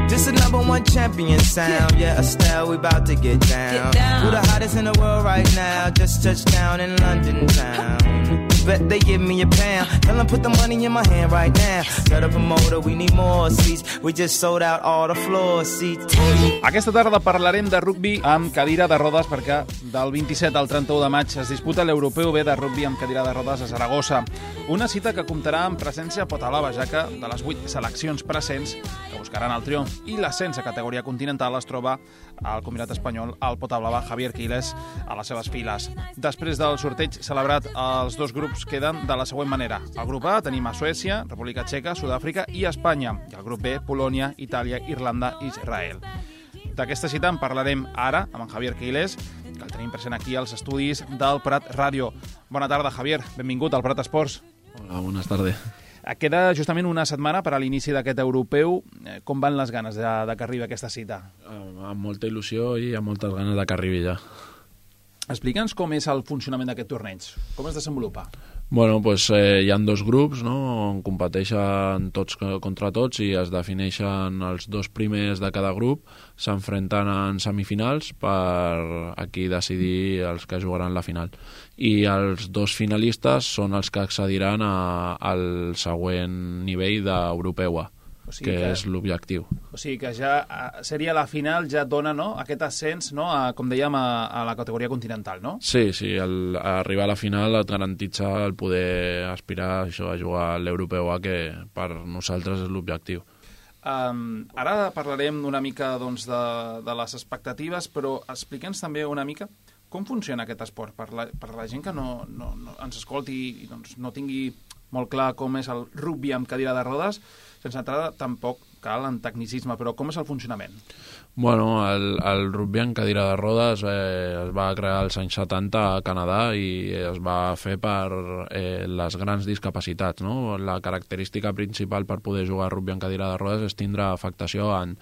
This is #1 champion sound. Yeah, Estelle, we about to get down. Who the hottest in the world right now? Just touched down in London town. Bet they give me a pound. Tell them put the money in my hand right now. Set up a motor, we need more seats. We just sold out all the floor seats. Aquesta tarda parlarem de rugbi amb cadira de rodes perquè del 27 al 31 de maig es disputa l'Europeu B de rugbi amb cadira de rodes a Saragossa. Una cita que comptarà amb presència potalava, ja que de les 8 seleccions presents que buscaran el triomf i l'ascens a categoria continental es troba al combinat espanyol el potablava Javier Quiles a les seves files. Després del sorteig celebrat, els dos grups queden de la següent manera. Al grup A tenim a Suècia, República Txeca, Sud-àfrica i Espanya. I al grup B, Polònia, Itàlia, Irlanda i Israel. D'aquesta cita en parlarem ara amb en Javier Quiles, que el tenim present aquí als estudis del Prat Ràdio. Bona tarda, Javier. Benvingut al Prat Esports. Hola, buenas tardes. Queda justament una setmana per a l'inici d'aquest europeu. Com van les ganes de que arribi aquesta cita? Amb molta il·lusió i amb moltes ganes de que arribi ja. Explica'ns com és el funcionament d'aquest torneig. Com es desenvolupa? Bueno, pues hi ha dos grups, no?, on competeixen tots contra tots i es defineixen els dos primers de cada grup, s'enfrenten en semifinals per aquí decidir els que jugaran la final. I els dos finalistes són els que accediran al següent nivell d'Europeu A, que és l'objectiu. O sigui que ja seria la final, ja et dona, no?, aquest ascens, no?, com dèiem, a la categoria continental, no? Sí, arribar a la final et garantitza el poder aspirar a jugar a l'Europeu A, que per nosaltres és l'objectiu. Ara parlarem una mica doncs, de les expectatives, però expliquem-nos també una mica com funciona aquest esport per la gent que no ens escolti i doncs, no tingui molt clar com és el rugbi amb cadira de rodes. Sense entrar tampoc cal en tecnicisme, però com és el funcionament? Bueno, el rugbi en cadira de rodes es va crear als anys 70 a Canadà i es va fer per les grans discapacitats, no? La característica principal per poder jugar a rugbi en cadira de rodes és tindre afectació en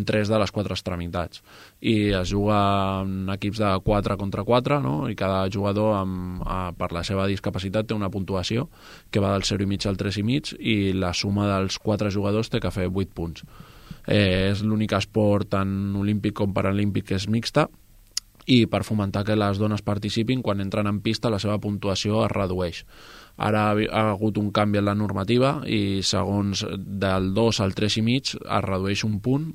3 de les 4 extremitats. I es juga en equips de 4 contra 4, no? I cada jugador per la seva discapacitat té una puntuació que va del 0,5 al 3,5 i la suma dels 4 jugadors té que fer 8 punts. És l'únic esport tant olímpic com paralímpic que és mixta i per fomentar que les dones participin, quan entren en pista la seva puntuació es redueix. Ara ha hagut un canvi en la normativa i segons del 2 al 3,5 es redueix un punt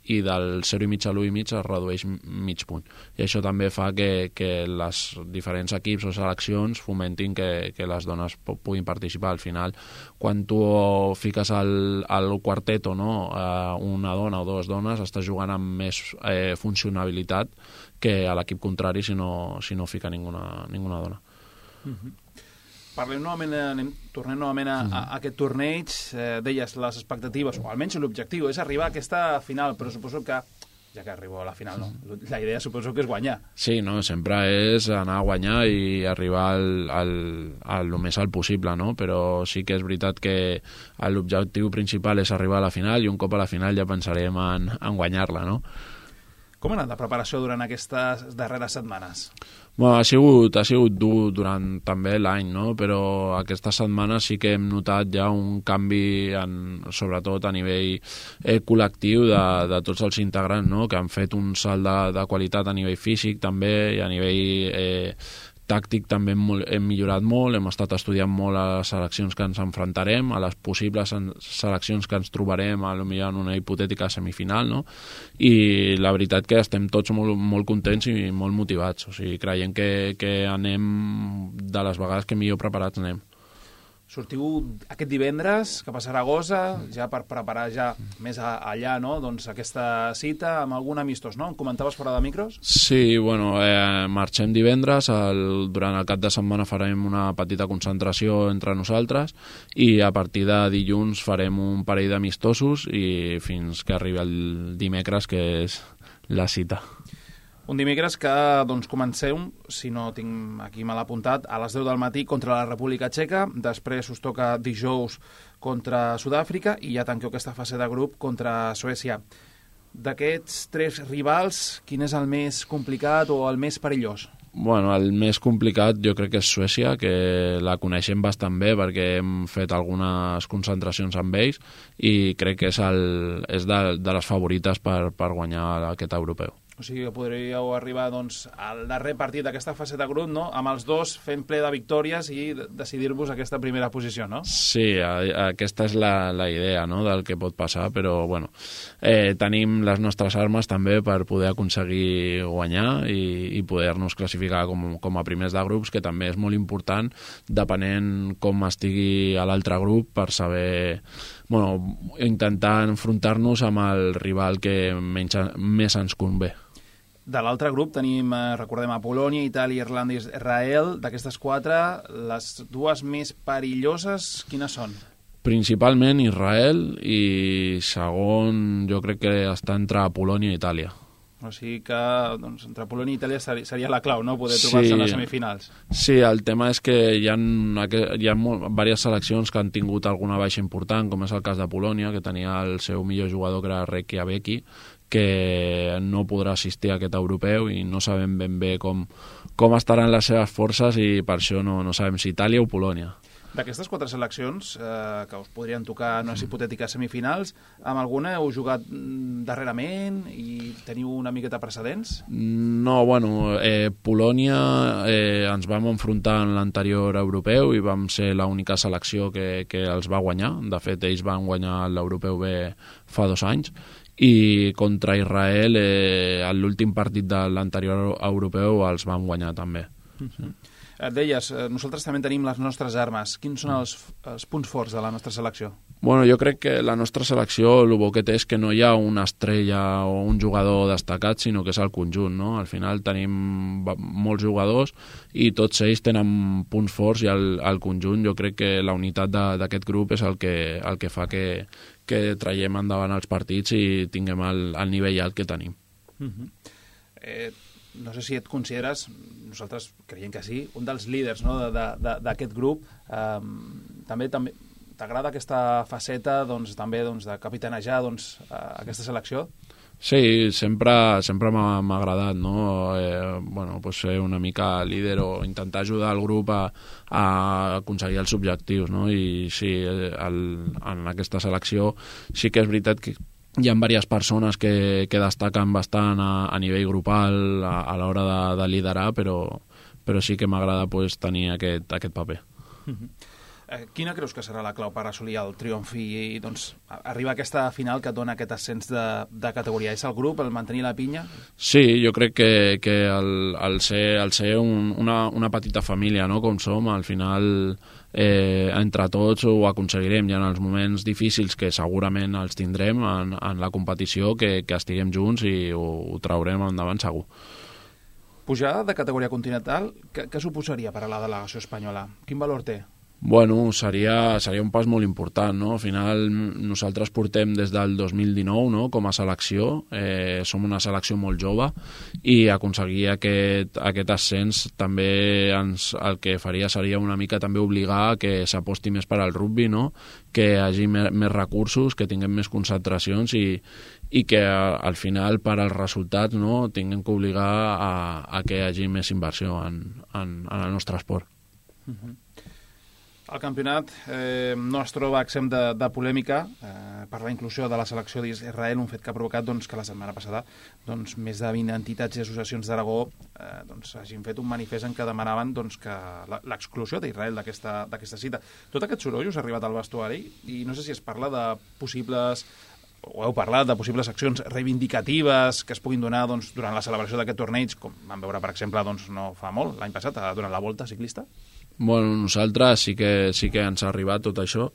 i del 0,5 a l'1,5 es redueix mig punt. I això també fa que les diferents equips o seleccions fomentin que les dones puguin participar. Al final, quan tu fiques al quarteto, no, una dona o dues dones, estàs jugant amb més funcionalitat que a l'equip contrari si no fica ninguna dona. Parlem novament, tornem novament a aquest torneig. Deies les expectatives, o almenys l'objectiu, és arribar a aquesta final, però suposo que, ja que arribo a la final, no? La idea suposo que és guanyar. Sí, no, sempre és anar a guanyar i arribar al més alt possible, no? Però sí que és veritat que l'objectiu principal és arribar a la final i un cop a la final ja pensarem en guanyar-la, no? Com ha anat la preparació durant aquestes darreres setmanes? Bueno, ha sigut dur durant també l'any, no? Però aquestes setmanes sí que hem notat ja un canvi, sobretot a nivell col·lectiu de tots els integrants, no? Que han fet un salt de qualitat a nivell físic també i a nivell tàctic també hem millorat molt, hem estat estudiant molt a les seleccions que ens enfrontarem, a les possibles seleccions que ens trobarem potser en una hipotètica semifinal, no? I la veritat que estem tots molt, molt contents i molt motivats, o sigui, creiem que anem de les vegades que millor preparats anem. Sortiu aquest divendres cap a Saragossa, ja per preparar ja més allà, no? Doncs aquesta cita amb algun amistós, no? Em comentaves fora de micros? Sí, bueno, marxem divendres, durant el cap de setmana farem una petita concentració entre nosaltres i a partir de dilluns farem un parell d'amistosos i fins que arribi el dimecres, que és la cita. Un dimecres que doncs, comenceu, si no tinc aquí mal apuntat, a les 10 del matí contra la República Txeca, després us toca dijous contra Sud-àfrica i ja tanqueu aquesta fase de grup contra Suècia. D'aquests 3 rivals, quin és el més complicat o el més perillós? Bueno, el més complicat jo crec que és Suècia, que la coneixem bastant bé perquè hem fet algunes concentracions amb ells i crec que és de les favorites per guanyar aquest europeu. O sigui que podríeu arribar doncs, al darrer partit d'aquesta fase de grup, no? Amb els dos fent ple de victòries i decidir-vos aquesta primera posició, no? Sí, aquesta és la idea, no?, del que pot passar, però bueno, tenim les nostres armes també per poder aconseguir guanyar i poder-nos classificar com a primers de grups, que també és molt important, depenent com estigui a l'altre grup, per saber, bueno, intentar enfrontar-nos amb el rival que més ens convé. De l'altre grup tenim, recordem, a Polònia, Itàlia, Irlanda i Israel. D'aquestes quatre, les dues més perilloses, quines són? Principalment Israel i segon jo crec que està entre Polònia i Itàlia. O sigui que doncs, entre Polònia i Itàlia seria la clau, no?, poder trobar-se en les semifinals. Sí, el tema és que hi ha diverses seleccions que han tingut alguna baixa important, com és el cas de Polònia, que tenia el seu millor jugador, que era Rekiaveki, que no podrà assistir a aquest europeu i no sabem ben bé com estaran les seves forces i per això no sabem si Itàlia o Polònia. D'aquestes quatre seleccions que us podrien tocar en unes hipotètiques semifinals, amb alguna heu jugat darrerament i teniu una miqueta precedents? No, bueno, Polònia ens vam enfrontar en l'anterior europeu i vam ser l'única selecció que els va guanyar. De fet, ells van guanyar l'europeu B fa 2 anys. I contra Israel, en l'últim partit de l'anterior europeu, els vam guanyar també. Et deies, nosaltres també tenim les nostres armes. Quins són els punts forts de la nostra selecció? Bueno, jo crec que la nostra selecció, el bo que té és que no hi ha una estrella o un jugador destacat, sinó que és el conjunt, no? Al final tenim molts jugadors i tots ells tenen punts forts i el conjunt, jo crec que la unitat d'aquest grup és el que fa que traiem endavant els partits i tinguem el nivell alt que tenim. No sé si et consideres, nosaltres creiem que sí, un dels líders, no?, d'aquest grup. També t'agrada aquesta faceta també de capitanejar aquesta selecció? Sí, sempre m'ha agradat, no? Bueno, pues ser una mica líder o intentar ajudar el grup a aconseguir els objectius, no? I sí, en aquesta selecció sí que és veritat que hi ha diverses persones que destaquen bastant a nivell grupal a l'hora de liderar, però sí que m'agrada pues, tenir aquest paper. Quina creus que serà la clau per assolir el triomf i arribar a aquesta final que et dona aquest ascens de categoria? És el grup, el mantenir la pinya? Sí, jo crec que el ser una petita família, no?, com som, al final entre tots ho aconseguirem. Hi ha els moments difícils que segurament els tindrem en la competició, que estiguem junts i ho traurem endavant segur. Pujar de categoria continental, què suposaria per a la delegació espanyola? Quin valor té? Bueno, seria un pas molt important, no? Al final nosaltres portem des del 2019, no?, com a selecció, som una selecció molt jove i aconseguir aquest ascens també el que faria seria una mica també obligar que s'aposti més per al rugby, no?, que hi hagi més recursos, que tinguem més concentracions i que al final per als resultats, no?, tinguem que obligar a que hi hagi més inversió en el nostre esport. El campionat no es troba exempt de polèmica per la inclusió de la selecció d'Israel, un fet que ha provocat que la setmana passada més de 20 entitats i associacions d'Aragó hagin fet un manifest en què demanaven que l'exclusió d'Israel d'aquesta cita. Tot aquest soroll us ha arribat al vestuari i no sé si es parla de possibles o heu parlat de possibles accions reivindicatives que es puguin donar durant la celebració d'aquest torneig, com vam veure, per exemple, no fa molt, l'any passat, durant la Volta Ciclista? Bueno, nosaltres sí que ens ha arribat tot això,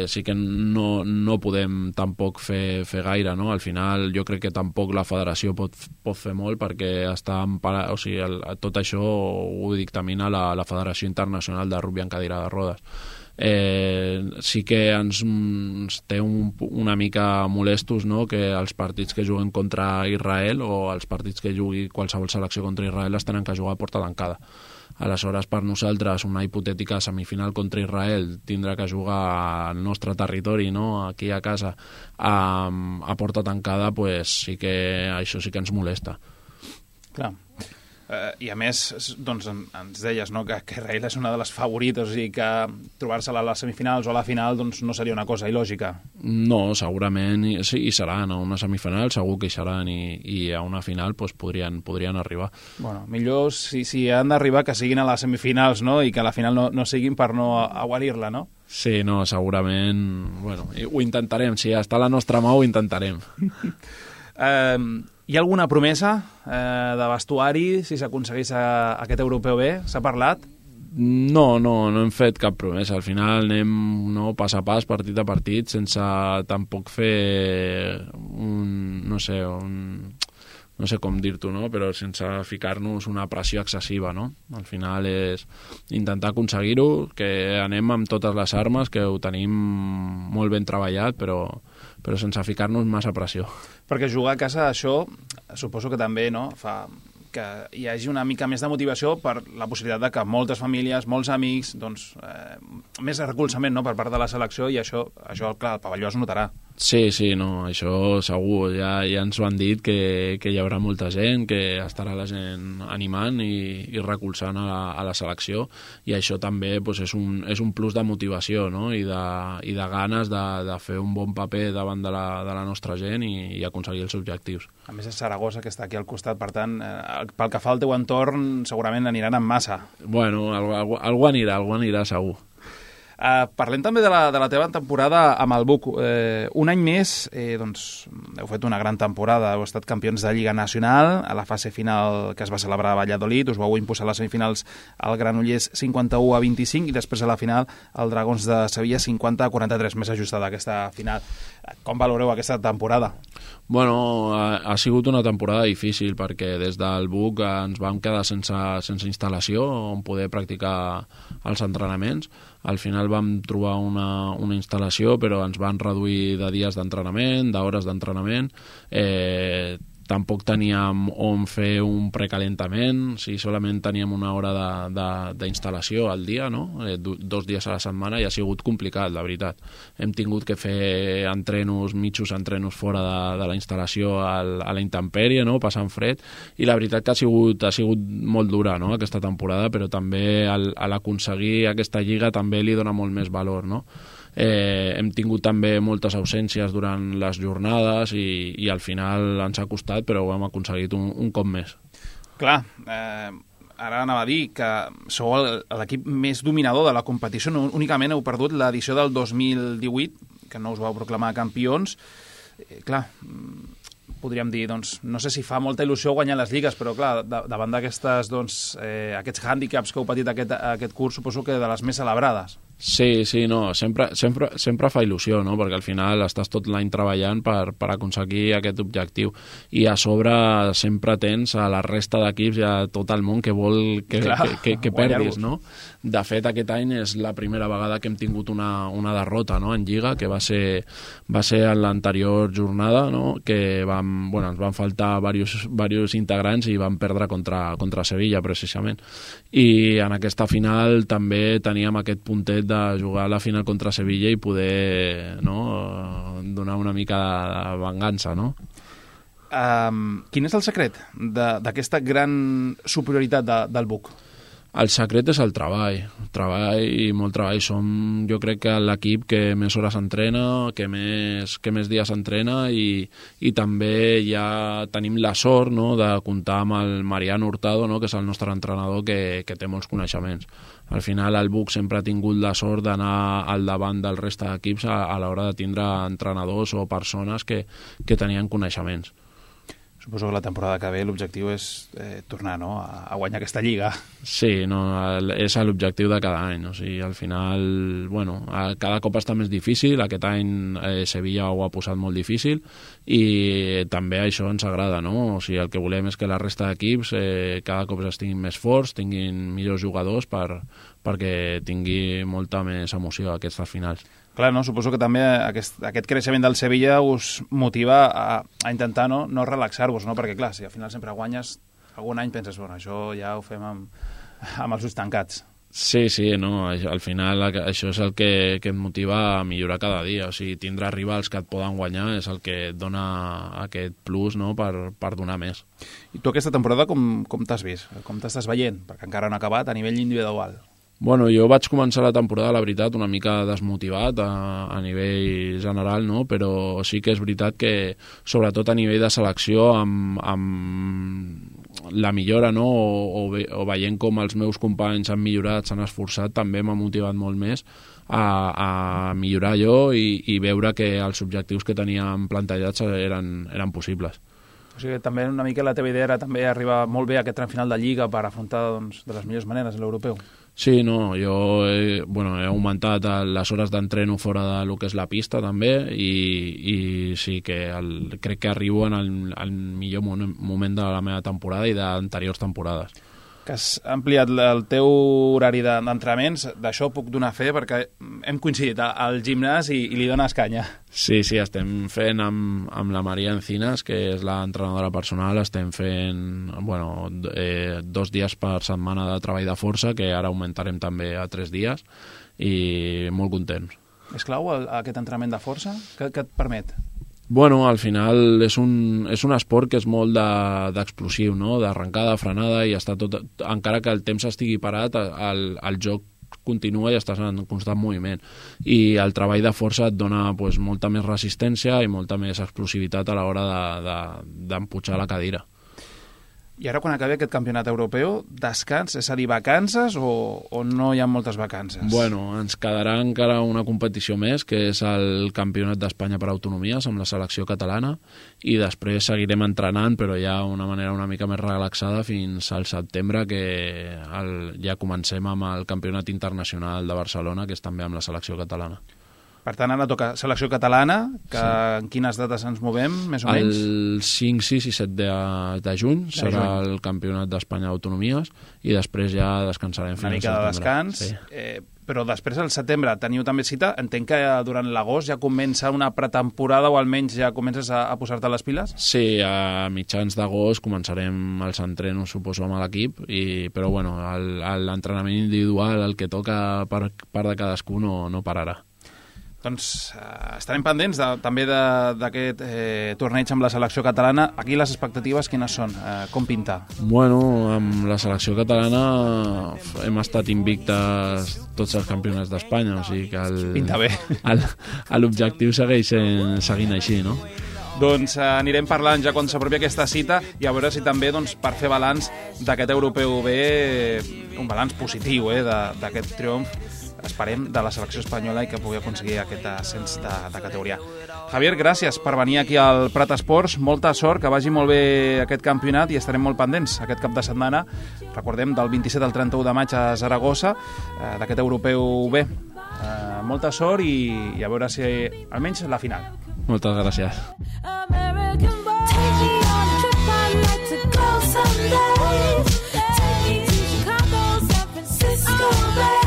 sí que no podem tampoc fer gaire, no? Al final jo crec que tampoc la federació pot fer molt perquè està emparat, o sigui, tot això ho dictamina la Federació Internacional de Rugby en Cadira de Rodes. Sí que ens té una mica molestos, no?, que els partits que juguen contra Israel o els partits que jugui qualsevol selecció contra Israel es tenen que jugar a porta tancada. Aleshores, per nosaltres, una hipotètica semifinal contra Israel tindrà que jugar al nostre territori, no?, aquí a casa, a porta tancada, pues, això sí que ens molesta. Clar. I a més, doncs, ens deies, no?, que Israel és una de les favorites, o sigui que trobar-se-la a les semifinals o a la final doncs, no seria una cosa il·lògica. No, segurament sí, hi seran. A una semifinal segur que hi seran i a una final doncs, podrien arribar. Bueno, millor si han d'arribar que siguin a les semifinals, no?, i que a la final no siguin per no aguarir-la, no? Sí, no, segurament... Bueno, ho intentarem. Si està a la nostra mà, ho intentarem. Hi ha alguna promesa de vestuari si s'aconseguís aquest europeu B? S'ha parlat? No hem fet cap promesa. Al final anem pas a pas, partit a partit, sense tampoc fer no sé com dir-t'ho, no? Però sense ficar-nos una pressió excessiva, no? Al final és intentar aconseguir-ho, que anem amb totes les armes, que ho tenim molt ben treballat, però sense ficar-nos massa pressió. Perquè jugar a casa, això, suposo que també, no?, fa que hi hagi una mica més de motivació per la possibilitat de que moltes famílies, molts amics, doncs, més recolzament, no?, per part de la selecció, i això clar, el pavelló es notarà. Sí, no, això segur. Ja ens ho han dit que hi haurà molta gent, que estarà la gent animant i recolzant a la selecció, i això també doncs, és un plus de motivació, no?, i de ganes de fer un bon paper davant de la nostra gent i aconseguir els objectius. A més és Saragossa, que està aquí al costat, per tant, pel que fa al teu entorn, segurament aniran en massa. Bueno, algú anirà segur. Parlem també de la teva temporada amb el Buc. Un any més, doncs, heu fet una gran temporada, heu estat campions de Lliga Nacional, a la fase final que es va celebrar a Valladolid, us vau imposar a les semifinals al Granollers 51-25 i després a la final al Dragons de Sevilla 50-43, més ajustada aquesta final. Com valoreu aquesta temporada? Bueno, ha sigut una temporada difícil perquè des del Buc ens vam quedar sense instal·lació on poder practicar els entrenaments. Al final vam trobar una instal·lació, però ens van reduir de dies d'entrenament, d'hores d'entrenament. Tampoc teníem on fer un precalentament, si solament teníem una hora d'instal·lació al dia, no? 2 dies a la setmana, i ha sigut complicat, la veritat. Hem tingut que fer mitjos entrenos fora de la instal·lació a la intempèrie, no?, passant fred, i la veritat que ha sigut molt dura, no?, aquesta temporada, però també a l'aconseguir aquesta lliga també li dona molt més valor, no? Hem tingut també moltes ausències durant les jornades i al final ens ha costat, però ho hem aconseguit un cop més. Clar, ara anava a dir que sou l'equip més dominador de la competició, no únicament heu perdut l'edició del 2018, que no us vau proclamar campions. Clar, podríem dir, doncs, no sé si fa molta il·lusió guanyar les lligues, però clar, davant d'aquestes, doncs, aquests hàndicaps que heu patit aquest curs, suposo que de les més celebrades. Sí, no, sempre fa il·lusió, no?, perquè al final estàs tot l'any treballant per aconseguir aquest objectiu, i a sobre sempre tens a la resta d'equips i a tot el món que vol que perdis, no? De fet, aquest any és la primera vegada que hem tingut una derrota, no?, en Lliga, que va ser en l'anterior jornada, no?, que ens van faltar diversos integrants i vam perdre contra Sevilla, precisament. I en aquesta final també teníem aquest puntet de jugar a la final contra Sevilla i poder, no?, donar una mica de vengança, no? Quin és el secret d'aquesta gran superioritat del Buc? El secret és el treball i molt treball. Som, jo crec, que l'equip que més hores entrena, que més dies entrena, i també ja tenim la sort, no?, de comptar amb el Mariano Hurtado, no?, que és el nostre entrenador, que té molts coneixements. Al final el Buc sempre ha tingut la sort d'anar al davant del reste d'equips a l'hora de tindre entrenadors o persones que tenien coneixements. Suposo que la temporada que ve l'objectiu és tornar, no?, a guanyar aquesta lliga. Sí, no, és l'objectiu de cada any. O sigui, al final, bueno, cada cop està més difícil. Aquest any Sevilla ho ha posat molt difícil i també això ens agrada, no? O sigui, el que volem és que la resta d'equips cada cop estiguin més forts, tinguin millors jugadors perquè tingui molta més emoció aquestes finals. Clar, no? Suposo que també aquest creixement del Sevilla us motiva a intentar no relaxar-vos, no? Perquè, clar, si al final sempre guanyes, algun any penses, bueno, això ja ho fem amb els ulls tancats. Sí, no, al final això és el que et motiva a millorar cada dia, o sigui, tindrà rivals que et poden guanyar és el que et dona aquest plus, no?, per donar més. I tu aquesta temporada com t'has vist? Com t'estàs veient? Perquè encara no ha acabat a nivell individual. Bueno, jo vaig començar la temporada, la veritat, una mica desmotivat a nivell general, no? Però sí que és veritat que, sobretot a nivell de selecció, amb la millora, no? o veient com els meus companys han millorat, s'han esforçat, també m'ha motivat molt més a millorar jo i veure que els objectius que teníem plantejats eren possibles. O sigui, també una mica la teva idea era també arribar molt bé a aquest tram final de Lliga per afrontar doncs, de les millors maneres l'europeu. Sí, no, jo he augmentat les hores d'entreno fora del que és la pista també i sí que crec que arribo en el millor moment de la meva temporada i d'anteriors temporades. Que has ampliat el teu horari d'entrenaments, d'això puc donar fe perquè hem coincidit al gimnàs i li dones canya. Sí, estem fent amb la Maria Encinas, que és l'entrenadora personal, estem fent 2 dies per setmana de treball de força, que ara augmentarem també a 3 dies, i molt contents. És clau aquest entrenament de força? Què et permet? Bueno, al final és un esport que és molt d'explosiu, no? D'arrencada, frenada, i està tot, encara que el temps estigui parat, el joc continua i estàs en constant moviment. I el treball de força et dona molta més resistència i molta més explosivitat a l'hora d'empujar la cadira. I ara, quan acabi aquest campionat europeu, descans, és a dir, vacances o no hi ha moltes vacances? Bueno, ens quedarà encara una competició més, que és el Campionat d'Espanya per autonomies amb la selecció catalana, i després seguirem entrenant, però ja d'una manera una mica més relaxada fins al setembre, que ja comencem amb el Campionat Internacional de Barcelona, que és també amb la selecció catalana. Per tant, ara toca selecció catalana, que sí. En quines dates ens movem, més o menys? El 5, 6 i 7 de juny serà el Campionat d'Espanya d'Autonomies i després ja descansarem fins al setembre. Una mica de descans, sí. Però després al setembre teniu també cita. Entenc que durant l'agost ja comença una pretemporada o almenys ja comences a posar-te les piles? Sí, a mitjans d'agost començarem els entrenos, suposo, amb l'equip, però bueno, l'entrenament individual, el que toca per part de cadascú, no pararà. Doncs estarem pendents també d'aquest torneig amb la selecció catalana. Aquí les expectatives quines són? Com pinta? Bueno, amb la selecció catalana hem estat invictes tots els campionats d'Espanya, o sigui que pinta bé. L'objectiu segueix seguint així, no? Doncs anirem parlant ja quan s'apropi aquesta cita i a veure si també per fer balanç d'aquest europeu bé, un balanç positiu d'aquest triomf, esperem, de la selecció espanyola i que pugui aconseguir aquest ascens de categoria. Javier, gràcies per venir aquí al Prat Esports. Molta sort, que vagi molt bé aquest campionat i estarem molt pendents aquest cap de setmana. Recordem, del 27 al 31 de maig a Saragossa, d'aquest europeu bé. Molta sort i a veure si almenys la final. Moltes gràcies. Take me to Chicago, San Francisco Bay.